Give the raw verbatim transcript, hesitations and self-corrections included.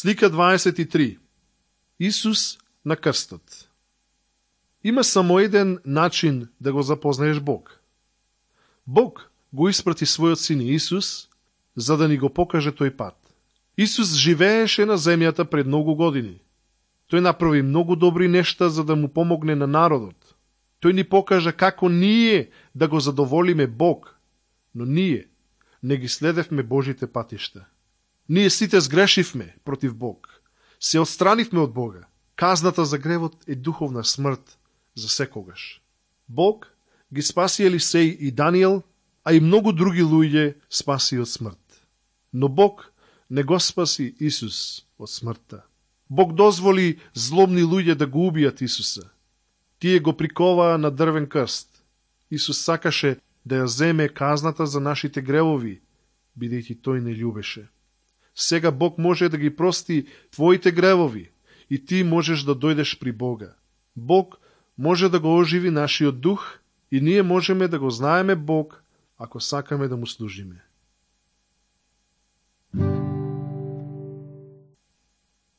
Слика дваесет и три. Исус на крстот. Има само еден начин да го запознаеш Бог. Бог го испрати својот син Исус, за да ни го покаже тој пат. Исус живееше на земјата пред многу години. Тој направи многу добри нешта за да му помогне на народот. Тој ни покажа како ние да го задоволиме Бог, но ние не ги следевме Божите патишта. Ние сите сгрешивме против Бог. Се отстранивме од Бога. Казната за гревот е духовна смрт за секогаш. Бог ги спаси Елисеј и Даниел, а и многу други луѓе спаси од смрт. Но Бог не го спаси Исус од смртта. Бог дозволи злобни луѓе да го убијат Исуса. Тие го приковаа на дрвен крст. Исус сакаше да ја земе казната за нашите гревови, бидејќи тој не љубеше. Сега Бог може да ги прости твоите гревови и ти можеш да дојдеш при Бога. Бог може да го оживи нашиот дух и ние можеме да го знаеме Бог ако сакаме да му служиме.